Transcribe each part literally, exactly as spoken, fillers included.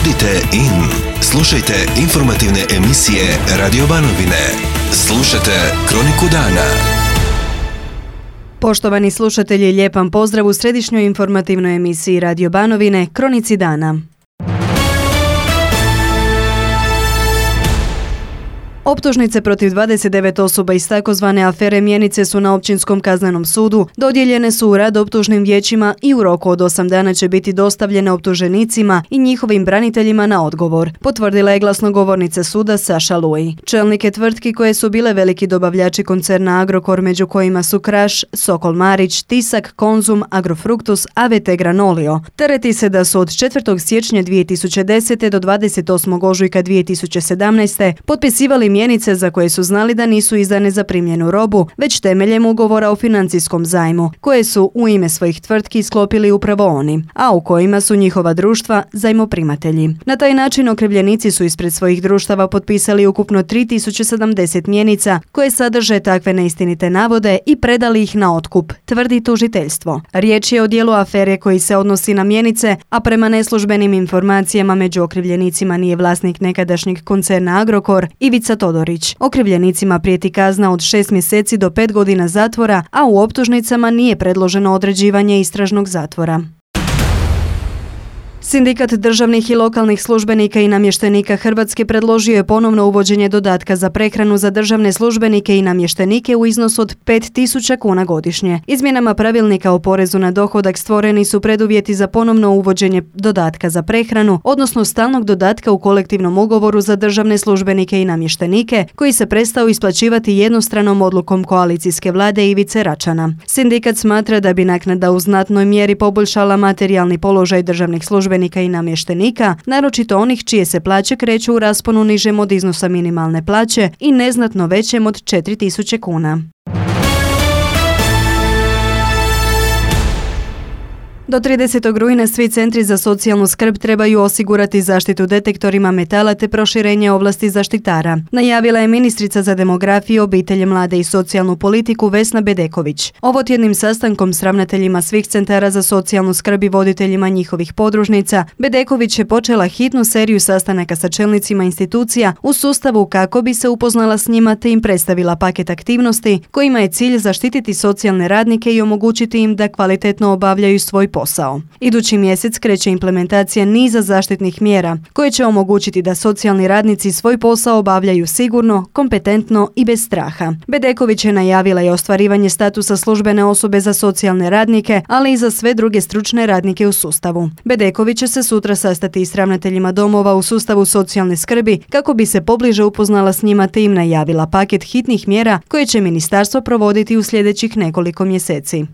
Budite in. Slušajte informativne emisije Radio Banovine. Slušajte Kroniku dana. Poštovani slušatelji, lijep vam pozdrav u središnjoj informativnoj emisiji Radio Banovine, Kronici dana. Optužnice protiv dvadeset devet osoba iz takozvane afere Mjenice su na Općinskom kaznenom sudu dodijeljene su u rad optužnim vijećima i u roku od osam dana će biti dostavljene optuženicima i njihovim braniteljima na odgovor, potvrdila je glasnogovornica suda Saša Luj. Čelnike tvrtki koje su bile veliki dobavljači koncerna Agrokor, među kojima su Kraš, Sokol Marić, Tisak, Konzum, Agrofruktus, A V T Granolio, tereti se da su od četvrtog siječnja dvije tisuće desete do dvadeset osmog ožujka dvije tisuće sedamnaeste potpisivali mjenice za koje su znali da nisu izdane za primljenu robu, već temeljem ugovora o financijskom zajmu, koje su u ime svojih tvrtki sklopili upravo oni, a u kojima su njihova društva zajmoprimatelji. Na taj način okrivljenici su ispred svojih društava potpisali ukupno tri tisuće sedamdeset mjenica koje sadrže takve neistinite navode i predali ih na otkup, tvrdi tužiteljstvo. Riječ je o dijelu afere koji se odnosi na mjenice, a prema neslužbenim informacijama među okrivljenicima nije vlasnik nekadašnjeg koncerna Agrokor, Ivica Todorić. Okrivljenicima prijeti kazna od šest mjeseci do pet godina zatvora, a u optužnicama nije predloženo određivanje istražnog zatvora. Sindikat državnih i lokalnih službenika i namještenika Hrvatske predložio je ponovno uvođenje dodatka za prehranu za državne službenike i namještenike u iznosu od pet tisuća kuna godišnje. Izmjenama pravilnika o porezu na dohodak stvoreni su preduvjeti za ponovno uvođenje dodatka za prehranu, odnosno stalnog dodatka u kolektivnom ugovoru za državne službenike i namještenike, koji se prestao isplaćivati jednostranom odlukom koalicijske vlade Ivice Račana. Sindikat smatra da bi naknada u znatnoj mjeri poboljšala materijalni položaj državnih službenika i namještenika, naročito onih čije se plaće kreću u rasponu nižem od iznosa minimalne plaće i neznatno većem od četiri tisuće kuna. Do tridesetog rujna svi centri za socijalnu skrb trebaju osigurati zaštitu detektorima metala te proširenje ovlasti zaštitara, najavila je ministrica za demografiju, obitelj, mlade i socijalnu politiku Vesna Bedeković. Ovotjednim sastankom s ravnateljima svih centara za socijalnu skrb i voditeljima njihovih podružnica, Bedeković je počela hitnu seriju sastanaka sa čelnicima institucija u sustavu kako bi se upoznala s njima te im predstavila paket aktivnosti kojima je cilj zaštititi socijalne radnike i omogućiti im da kvalitetno obavljaju svoj posao. Posao. Idući mjesec kreće implementacija niza zaštitnih mjera koje će omogućiti da socijalni radnici svoj posao obavljaju sigurno, kompetentno i bez straha. Bedeković je najavila i ostvarivanje statusa službene osobe za socijalne radnike, ali i za sve druge stručne radnike u sustavu. Bedeković će se sutra sastati s ravnateljima domova u sustavu socijalne skrbi kako bi se pobliže upoznala s njima te im najavila paket hitnih mjera koje će ministarstvo provoditi u sljedećih nekoliko mjeseci.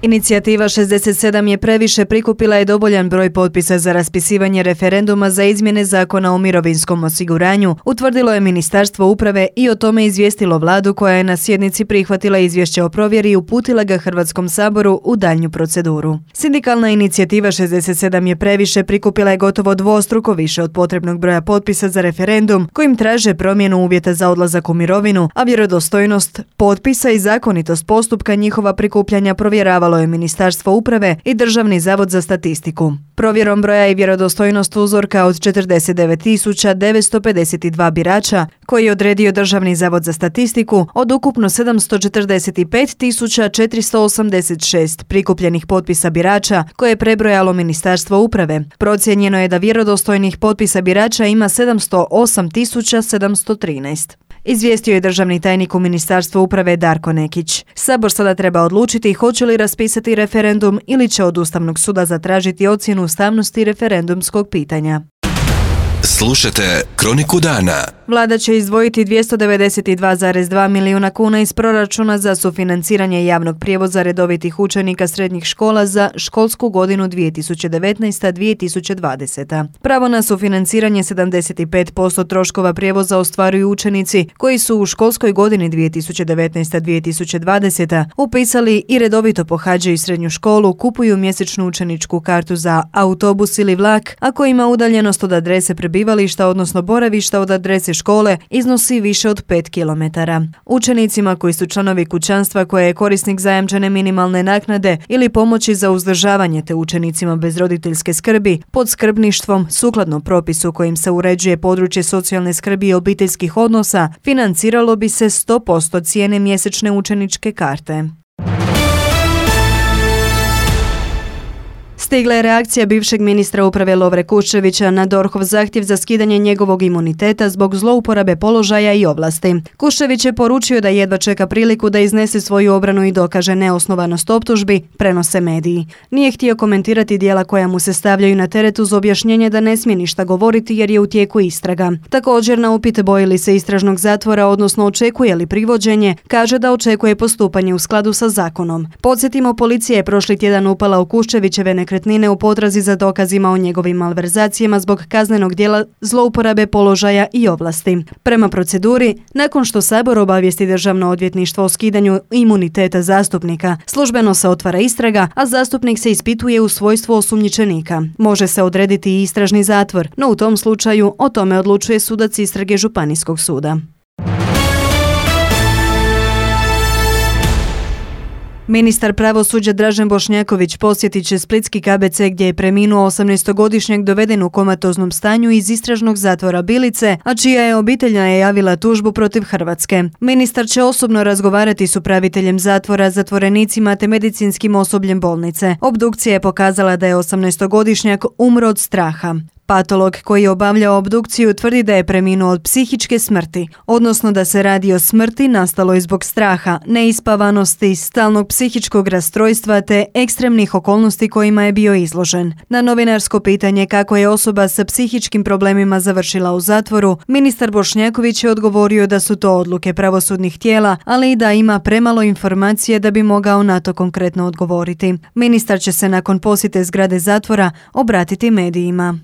Inicijativa šezdeset sedam je previše prikupila je dovoljan broj potpisa za raspisivanje referenduma za izmjene Zakona o mirovinskom osiguranju, utvrdilo je Ministarstvo uprave i o tome izvijestilo vladu koja je na sjednici prihvatila izvješće o provjeri i uputila ga Hrvatskom saboru u daljnju proceduru. Sindikalna inicijativa šezdeset sedam je previše prikupila je gotovo dvostruko više od potrebnog broja potpisa za referendum kojim traže promjenu uvjeta za odlazak u mirovinu, a vjerodostojnost potpisa i zakonitost postupka njihova prikupljanja provjeravalo je Ministarstvo uprave i Državni zavod za statistiku. Provjerom broja i vjerodostojnost uzorka od četrdeset devet tisuća devetsto pedeset dva birača koji je odredio Državni zavod za statistiku od ukupno sedamsto četrdeset pet tisuća četiristo osamdeset šest prikupljenih potpisa birača koje je prebrojalo Ministarstvo uprave. Procijenjeno je da vjerodostojnih potpisa birača ima sedamsto osam tisuća sedamsto trinaest. Izvijestio je državni tajnik u Ministarstvu uprave Darko Nekić. Sabor sada treba odlučiti hoće li raspisati referendum ili će od Ustavnog suda zatražiti ocjenu ustavnosti referendumskog pitanja. Slušajte Kroniku dana. Vlada će izdvojiti dvjesto devedeset dva zarez dva milijuna kuna iz proračuna za sufinanciranje javnog prijevoza redovitih učenika srednjih škola za školsku godinu dvije tisuće devetnaesta dvije tisuće dvadeseta. Pravo na sufinanciranje sedamdeset pet posto troškova prijevoza ostvaruju učenici koji su u školskoj godini dvije tisuće devetnaesta dvije tisuće dvadeseta upisali i redovito pohađaju srednju školu, kupuju mjesečnu učeničku kartu za autobus ili vlak, a koji ima udaljenost od adrese prebivališta, odnosno boravišta od adrese škole iznosi više od pet kilometara. Učenicima koji su članovi kućanstva koje je korisnik zajamčene minimalne naknade ili pomoći za uzdržavanje te učenicima bez roditeljske skrbi pod skrbništvom sukladno propisu kojim se uređuje područje socijalne skrbi i obiteljskih odnosa financiralo bi se sto posto cijene mjesečne učeničke karte. Stigla je reakcija bivšeg ministra uprave Lovre Kuščevića na DORH-ov zahtjev za skidanje njegovog imuniteta zbog zlouporabe položaja i ovlasti. Kuščević je poručio da jedva čeka priliku da iznese svoju obranu i dokaže neosnovanost optužbi, prenose mediji. Nije htio komentirati djela koja mu se stavljaju na teret uz objašnjenje da ne smije ništa govoriti jer je u tijeku istraga. Također na upit boji li se istražnog zatvora, odnosno očekuje li privođenje, kaže da očekuje postupanje u skladu sa zakonom. Podsjetimo, policija je prošli tjedan upala u Kuščevićeve nekretnine u potrazi za dokazima o njegovim malverzacijama zbog kaznenog djela zlouporabe položaja i ovlasti. Prema proceduri, nakon što Sabor obavijesti Državno odvjetništvo o skidanju imuniteta zastupnika, službeno se otvara istraga, a zastupnik se ispituje u svojstvu osumnjičenika. Može se odrediti i istražni zatvor, no u tom slučaju o tome odlučuje sudac istrage Županijskog suda. Ministar pravosuđa Dražen Bošnjaković posjetit će splitski K B C gdje je preminuo osamnaestogodišnjak doveden u komatoznom stanju iz istražnog zatvora Bilice, a čija je obitelj najavila tužbu protiv Hrvatske. Ministar će osobno razgovarati s upraviteljem zatvora, zatvorenicima te medicinskim osobljem bolnice. Obdukcija je pokazala da je osamnaestogodišnjak umro od straha. Patolog koji je obavljao obdukciju tvrdi da je preminuo od psihičke smrti, odnosno da se radi o smrti nastaloj zbog straha, neispavanosti, stalnog psihičkog rastrojstva te ekstremnih okolnosti kojima je bio izložen. Na novinarsko pitanje kako je osoba sa psihičkim problemima završila u zatvoru, ministar Bošnjaković je odgovorio da su to odluke pravosudnih tijela, ali i da ima premalo informacije da bi mogao na to konkretno odgovoriti. Ministar će se nakon posjete zgrade zatvora obratiti medijima.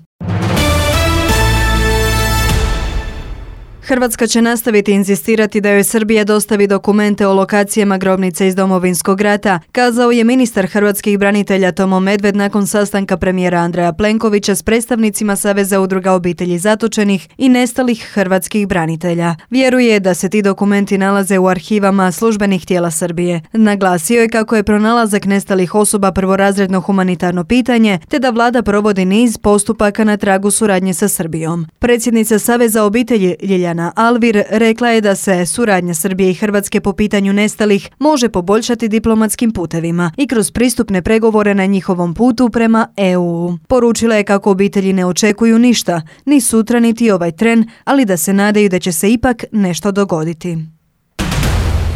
Hrvatska će nastaviti inzistirati da joj Srbija dostavi dokumente o lokacijama grobnice iz Domovinskog rata, kazao je ministar hrvatskih branitelja Tomo Medved nakon sastanka premijera Andreja Plenkovića s predstavnicima Saveza udruga obitelji zatočenih i nestalih hrvatskih branitelja. Vjeruje da se ti dokumenti nalaze u arhivama službenih tijela Srbije. Naglasio je kako je pronalazak nestalih osoba prvorazredno humanitarno pitanje, te da vlada provodi niz postupaka na tragu suradnje sa Srbijom. Predsjednica Saveza obitelji Ljiljana Alvir rekla je da se suradnja Srbije i Hrvatske po pitanju nestalih može poboljšati diplomatskim putevima i kroz pristupne pregovore na njihovom putu prema E U. Poručila je kako obitelji ne očekuju ništa, ni sutra niti ovaj tren, ali da se nadaju da će se ipak nešto dogoditi.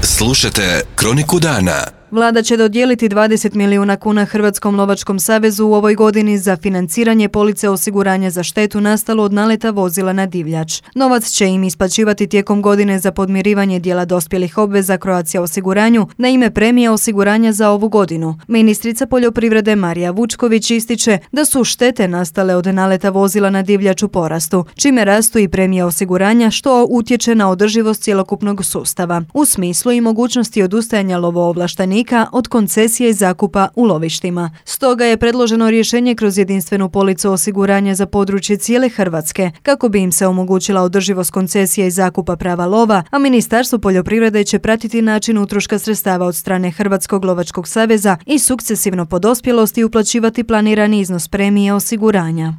Slušajte Kroniku dana. Vlada će dodijeliti dvadeset milijuna kuna Hrvatskom lovačkom savezu u ovoj godini za financiranje police osiguranja za štetu nastalu od naleta vozila na divljač. Novac će im isplaćivati tijekom godine za podmirivanje dijela dospjelih obveza Croatia osiguranju na ime premija osiguranja za ovu godinu. Ministrica poljoprivrede Marija Vučković ističe da su štete nastale od naleta vozila na divljač u porastu, čime rastu i premije osiguranja što utječe na održivost cjelokupnog sustava, u smislu i mogućnosti odustajanja lovoovlaštenika od koncesije i zakupa u lovištima. Stoga je predloženo rješenje kroz jedinstvenu policu osiguranja za područje cijele Hrvatske, kako bi im se omogućila održivost koncesije i zakupa prava lova, a Ministarstvo poljoprivrede će pratiti način utroška sredstava od strane Hrvatskog lovačkog saveza i sukcesivno po dospjelosti uplaćivati planirani iznos premije osiguranja.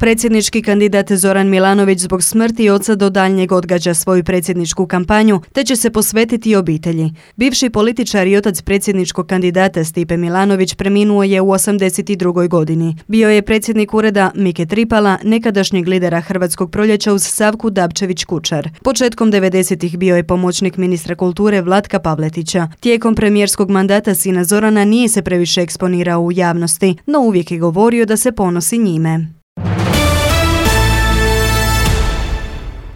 Predsjednički kandidat Zoran Milanović zbog smrti oca do daljnjeg odgađa svoju predsjedničku kampanju, te će se posvetiti obitelji. Bivši političar i otac predsjedničkog kandidata Stipe Milanović preminuo je u osamdeset drugoj godini. Bio je predsjednik ureda Mike Tripala, nekadašnjeg lidera Hrvatskog proljeća uz Savku Dabčević-Kučar. Početkom devedesetih bio je pomoćnik ministra kulture Vlatka Pavletića. Tijekom premijerskog mandata sina Zorana nije se previše eksponirao u javnosti, no uvijek je govorio da se ponosi njime.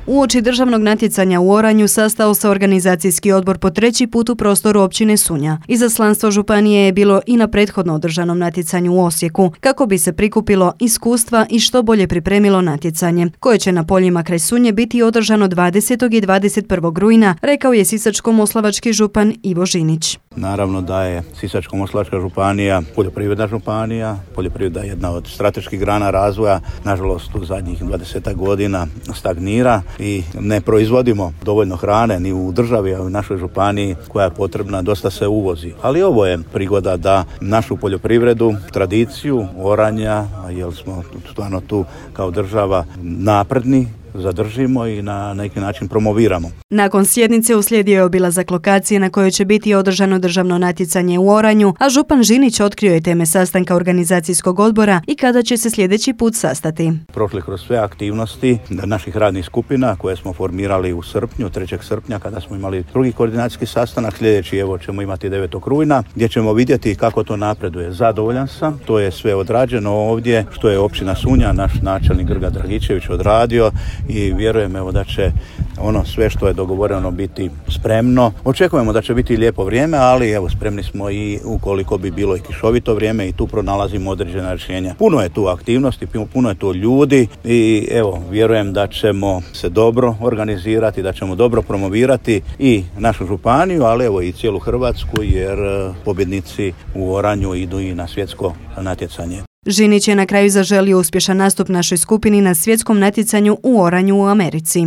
Uoči državnog natjecanja u oranju sastao se organizacijski odbor po treći put u prostoru općine Sunja. Izaslanstvo županije je bilo i na prethodno održanom natjecanju u Osijeku, kako bi se prikupilo iskustva i što bolje pripremilo natjecanje, koje će na poljima kraj Sunje biti održano dvadesetog i dvadeset prvog rujna, rekao je sisačko-moslavački župan Ivo Žinić. Naravno da je Sisačko-moslavačka županija poljoprivredna županija, poljoprivreda je jedna od strateških grana razvoja, nažalost u zadnjih dvadeset godina stagnira i ne proizvodimo dovoljno hrane ni u državi, a u našoj županiji koja je potrebna, dosta se uvozi. Ali ovo je prigoda da našu poljoprivredu, tradiciju oranja, jer smo stvarno tu kao država napredni, zadržimo i na neki način promoviramo. Nakon sjednice uslijedio je obilazak lokacije na kojoj će biti održano državno natjecanje u oranju, a župan Žinić otkrio je teme sastanka organizacijskog odbora i kada će se sljedeći put sastati. Prošli kroz sve aktivnosti naših radnih skupina koje smo formirali u srpnju, trećeg srpnja kada smo imali drugi koordinacijski sastanak, sljedeći evo ćemo imati devetog rujna gdje ćemo vidjeti kako to napreduje. Zadovoljan sam, to je sve odrađeno ovdje, što je općina Sunja, naš načelnik Grga Dragičević odradio i vjerujem evo da će ono sve što je dogovoreno biti spremno. Očekujemo da će biti lijepo vrijeme, ali evo spremni smo i ukoliko bi bilo i kišovito vrijeme i tu pronalazimo određena rješenja. Puno je tu aktivnosti, puno je tu ljudi i evo vjerujem da ćemo se dobro organizirati, da ćemo dobro promovirati i našu županiju, ali evo i cijelu Hrvatsku jer pobjednici u oranju idu i na svjetsko natjecanje. Žinić je na kraju zaželio uspješan nastup našoj skupini na svjetskom natjecanju u oranju u Americi.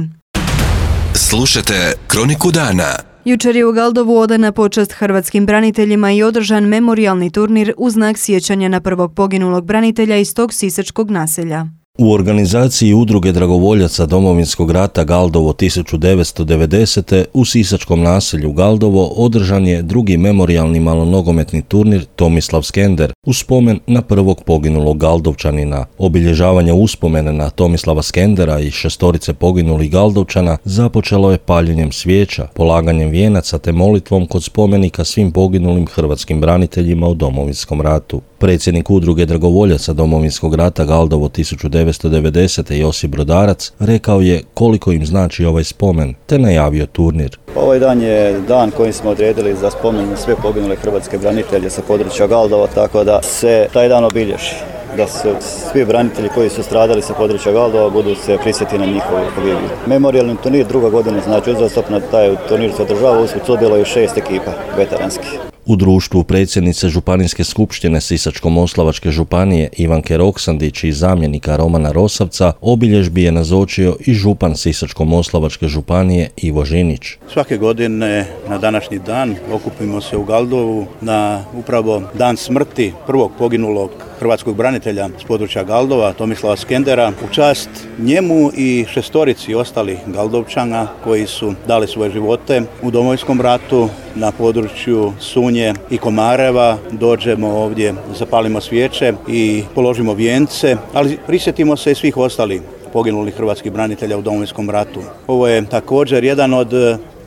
Slušajte Kroniku dana. Jučer je u Galdovu odana počast hrvatskim braniteljima i održan memorijalni turnir u znak sjećanja na prvog poginulog branitelja iz tog sisačkog naselja. U organizaciji Udruge dragovoljaca Domovinskog rata Galdovo tisuću devetsto devedesete u sisačkom naselju Galdovo održan je drugi memorijalni malonogometni turnir Tomislav Skender u spomen na prvog poginulog Galdovčanina. Obilježavanje uspomene na Tomislava Skendera i šestorice poginulih Galdovčana započelo je paljenjem svijeća, polaganjem vijenaca te molitvom kod spomenika svim poginulim hrvatskim braniteljima u Domovinskom ratu. Predsjednik Udruge dragovoljaca Domovinskog rata Galdovo tisuću devetsto devedesete Josip Brodarac rekao je koliko im znači ovaj spomen, te najavio turnir. Ovaj dan je dan kojim smo odredili za spomen sve poginule hrvatske branitelje sa područja Galdova, tako da se taj dan obilježi. Da su svi branitelji koji su stradali sa područja Galdova budu se prisjeti na njihovu pogibiju. Memorijalni turnir druga godina, znači uzastopno taj turnir se održava, usput sudjeluje šest ekipa veteranskih. U društvu predsjednice Županijske skupštine Sisačko-moslavačke županije Ivanke Roksandić i zamjenika Romana Rosavca obilježbi je nazočio i župan Sisačko-moslavačke županije Ivo Žinić. Svake godine na današnji dan okupimo se u Galdovu na upravo dan smrti prvog poginulog hrvatskog branitelja s područja Galdova, Tomislava Skendera, u čast njemu i šestorici ostalih Galdovčana koji su dali svoje živote u Domovinskom ratu na području Sunje i Komareva. Dođemo ovdje, zapalimo svijeće i položimo vijence, ali prisjetimo se i svih ostalih poginulih hrvatskih branitelja u Domovinskom ratu. Ovo je također jedan od,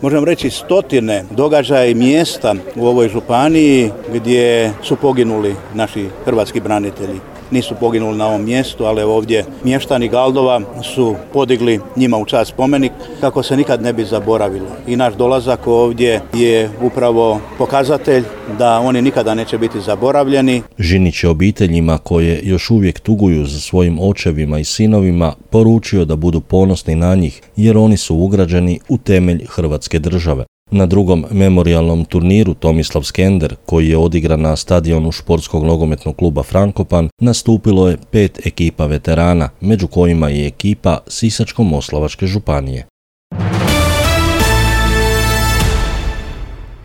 možemo reći, stotine događaja i mjesta u ovoj županiji gdje su poginuli naši hrvatski branitelji. Nisu poginuli na ovom mjestu, ali ovdje mještani Galdova su podigli njima u čast spomenik kako se nikad ne bi zaboravilo. I naš dolazak ovdje je upravo pokazatelj da oni nikada neće biti zaboravljeni. Žinić je obiteljima koje još uvijek tuguju za svojim očevima i sinovima poručio da budu ponosni na njih jer oni su ugrađeni u temelj Hrvatske države. Na drugom memorijalnom turniru Tomislav Skender, koji je odigran na stadionu športskog nogometnog kluba Frankopan, nastupilo je pet ekipa veterana, među kojima je ekipa Sisačko-moslavačke županije.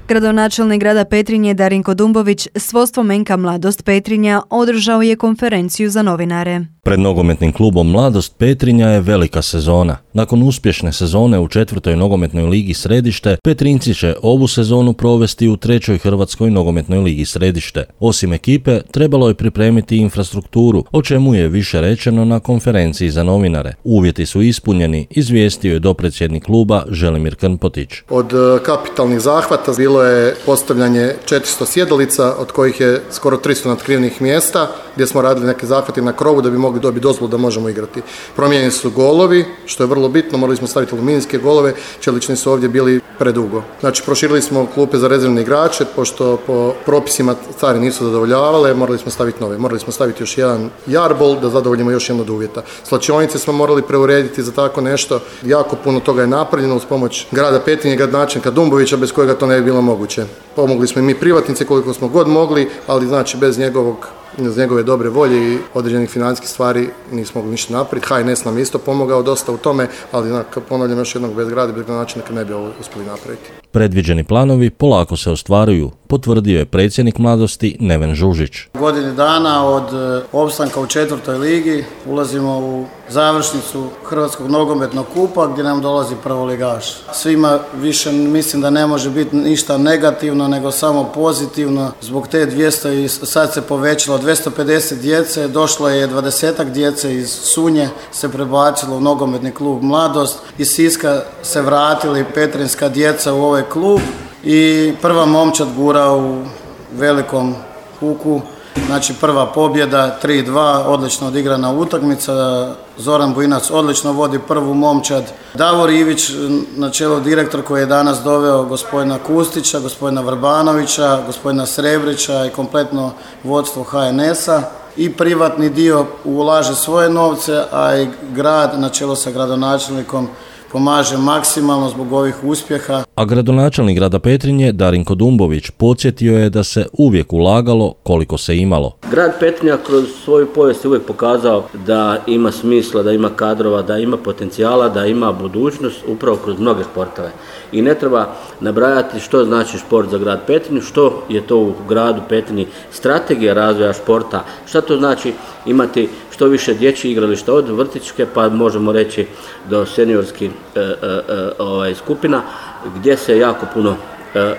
Gradonačelnik grada Petrinje Darinko Dumbović s vodstvom en ka Mladost Petrinja održao je konferenciju za novinare. Pred nogometnim klubom Mladost Petrinja je velika sezona. Nakon uspješne sezone u četvrtoj nogometnoj ligi Središte, Petrinjci će ovu sezonu provesti u trećoj Hrvatskoj nogometnoj ligi Središte. Osim ekipe, trebalo je pripremiti infrastrukturu, o čemu je više rečeno na konferenciji za novinare. Uvjeti su ispunjeni, izvijestio je dopredsjednik kluba Želimir Krmpotić. Od kapitalnih zahvata bilo je postavljanje četiristo sjedalica, od kojih je skoro tristo natkrivnih mjesta, gdje smo radili neke zahvate na krovu da bi mogli dobiti dozvolu da možemo igrati. Promijenjeni su golovi, što je vrlo bitno, morali smo staviti aluminijske golove, čelični su ovdje bili predugo. Znači, proširili smo klupe za rezervne igrače, pošto po propisima stvari nisu zadovoljavale, morali smo staviti nove. Morali smo staviti još jedan jarbol da zadovoljimo još jedno od uvjeta. Slačionice smo morali preurediti za tako nešto. Jako puno toga je napravljeno uz pomoć grada Petrinje, gradonačelnika Dumbovića, bez kojega to ne bi bilo moguće. Pomogli smo i mi privatnici koliko smo god mogli, ali znači bez njegovog iz njegove dobre volje i određenih financijskih stvari nismo mogli ništa napraviti. H N S nam isto pomogao dosta u tome, ali znak, ponavljam još jednog bez grada, bez načina ne bi ovo uspjeli napraviti. Predviđeni planovi polako se ostvaruju, potvrdio je predsjednik Mladosti Neven Žužić. Godini dana od opstanka u četvrtoj ligi ulazimo u završnicu Hrvatskog nogometnog kupa gdje nam dolazi prvoligaš. Svima više mislim da ne može biti ništa negativno nego samo pozitivno. Zbog te dvjesto i sad se povećalo dvjesto pedeset djece, došlo je dvadesetak djece iz Sunje, se prebacilo u nogometni klub Mladost. Iz Siska se vratili petrinska djeca u ovaj klub i prva momčad gura u velikom kuku. Znači prva pobjeda, tri dva, odlično odigrana utakmica. Zoran Bujinac odlično vodi prvu momčad. Davor Ivić, na čelu direktor koji je danas doveo gospodina Kustića, gospodina Vrbanovića, gospodina Srebrića i kompletno vodstvo H N S-a. I privatni dio ulaže svoje novce, a i grad na čelu sa gradonačelnikom pomaže maksimalno zbog ovih uspjeha. A gradonačelnik grada Petrinje, Darinko Dumbović, podsjetio je da se uvijek ulagalo koliko se imalo. Grad Petrinja kroz svoju povijest je uvijek pokazao da ima smisla, da ima kadrova, da ima potencijala, da ima budućnost upravo kroz mnoge sportove. I ne treba nabrajati što znači sport za grad Petrinju, što je to u gradu Petrinji strategija razvoja športa, šta to znači imati što više dječjih igrališta od vrtićke pa možemo reći do seniorskih e, e, ovaj, skupina gdje se jako puno e, e,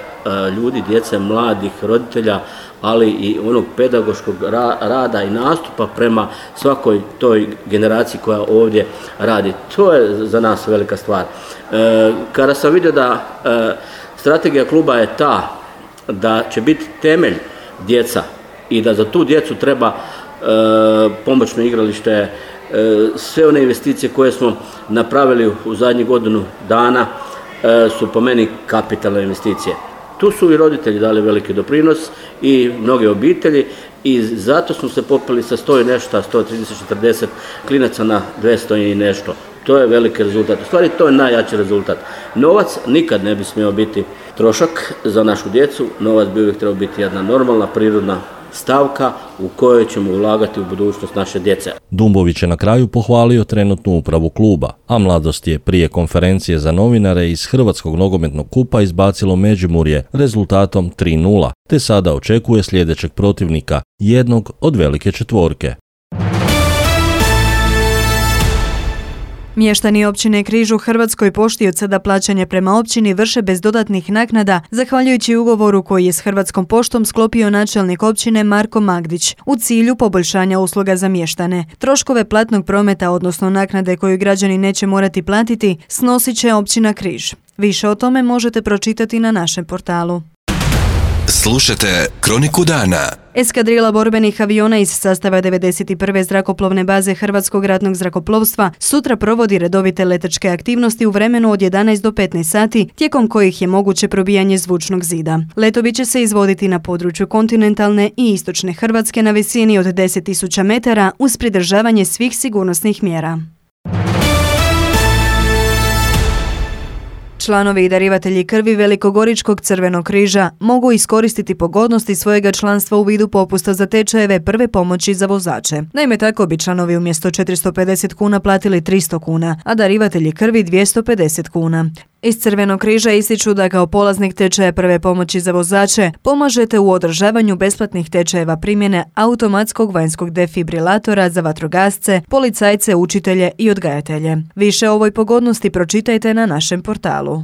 ljudi, djece, mladih, roditelja, ali i onog pedagoškog ra, rada i nastupa prema svakoj toj generaciji koja ovdje radi. To je za nas velika stvar. E, kada sam vidio da e, strategija kluba je ta da će biti temelj djeca i da za tu djecu treba E, pomoćno igralište, e, sve one investicije koje smo napravili u zadnjih godinu dana e, su po meni kapitalne investicije. Tu su i roditelji dali veliki doprinos i mnoge obitelji i zato smo se popeli sa sto i nešto, sto trideset četrdeset klinaca na dvjesto i nešto. To je veliki rezultat. U stvari to je najjači rezultat. Novac nikad ne bi smio biti trošak za našu djecu, novac bi uvijek trebao biti jedna normalna, prirodna stavka u kojoj ćemo ulagati u budućnost naše djece. Dumbović je na kraju pohvalio trenutnu upravu kluba, a Mladost je prije konferencije za novinare iz Hrvatskog nogometnog kupa izbacilo Međimurje rezultatom tri nula, te sada očekuje sljedećeg protivnika, jednog od velike četvorke. Mještani općine Križ u Hrvatskoj pošti od sada plaćanje prema općini vrše bez dodatnih naknada, zahvaljujući ugovoru koji je s Hrvatskom poštom sklopio načelnik općine Marko Magdić u cilju poboljšanja usluga za mještane. Troškove platnog prometa, odnosno naknade koju građani neće morati platiti, snosit će općina Križ. Više o tome možete pročitati na našem portalu. Slušajte Kroniku dana. Eskadrila borbenih aviona iz sastava devedeset prve zrakoplovne baze Hrvatskog ratnog zrakoplovstva sutra provodi redovite letačke aktivnosti u vremenu od jedanaest do petnaest sati, tijekom kojih je moguće probijanje zvučnog zida. Letovi će se izvoditi na području kontinentalne i istočne Hrvatske na visini od deset tisuća metara uz pridržavanje svih sigurnosnih mjera. Članovi i darivatelji krvi Velikogoričkog crvenog križa mogu iskoristiti pogodnosti svojega članstva u vidu popusta za tečajeve prve pomoći za vozače. Naime, tako bi članovi umjesto četiristo pedeset kuna platili tristo kuna, a darivatelji krvi dvjesto pedeset kuna. Iz Crvenog križa ističu da kao polaznik tečaja prve pomoći za vozače pomažete u održavanju besplatnih tečajeva primjene automatskog vanjskog defibrilatora za vatrogasce, policajce, učitelje i odgajatelje. Više o ovoj pogodnosti pročitajte na našem portalu.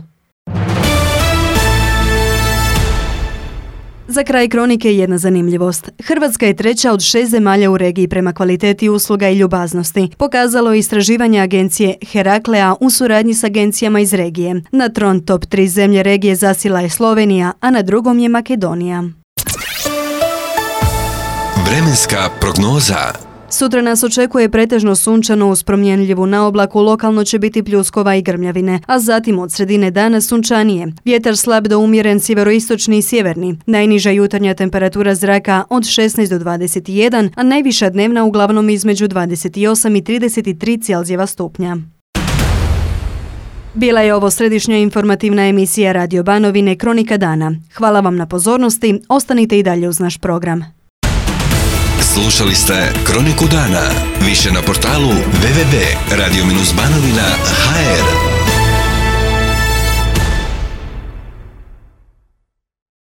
Za kraj kronike jedna zanimljivost. Hrvatska je treća od šest zemalja u regiji prema kvaliteti usluga i ljubaznosti. Pokazalo je istraživanje agencije Heraklea u suradnji s agencijama iz regije. Na tron top tri zemlje regije zasila je Slovenija, a na drugom je Makedonija. Vremenska prognoza. Sutra nas očekuje pretežno sunčano uz promjenljivu naoblaku, lokalno će biti pljuskova i grmljavine, a zatim od sredine dana sunčanije. Vjetar slab do umjeren sjeveroistočni i sjeverni. Najniža jutarnja temperatura zraka od šesnaest do dvadeset jedan, a najviša dnevna uglavnom između dvadeset osam i trideset tri Celzijeva stupnja. Bila je ovo središnja informativna emisija Radio Banovine Kronika dana. Hvala vam na pozornosti, ostanite i dalje uz naš program. Slušali ste Kroniku dana. Više na portalu w w w tačka radio banovina tačka h r.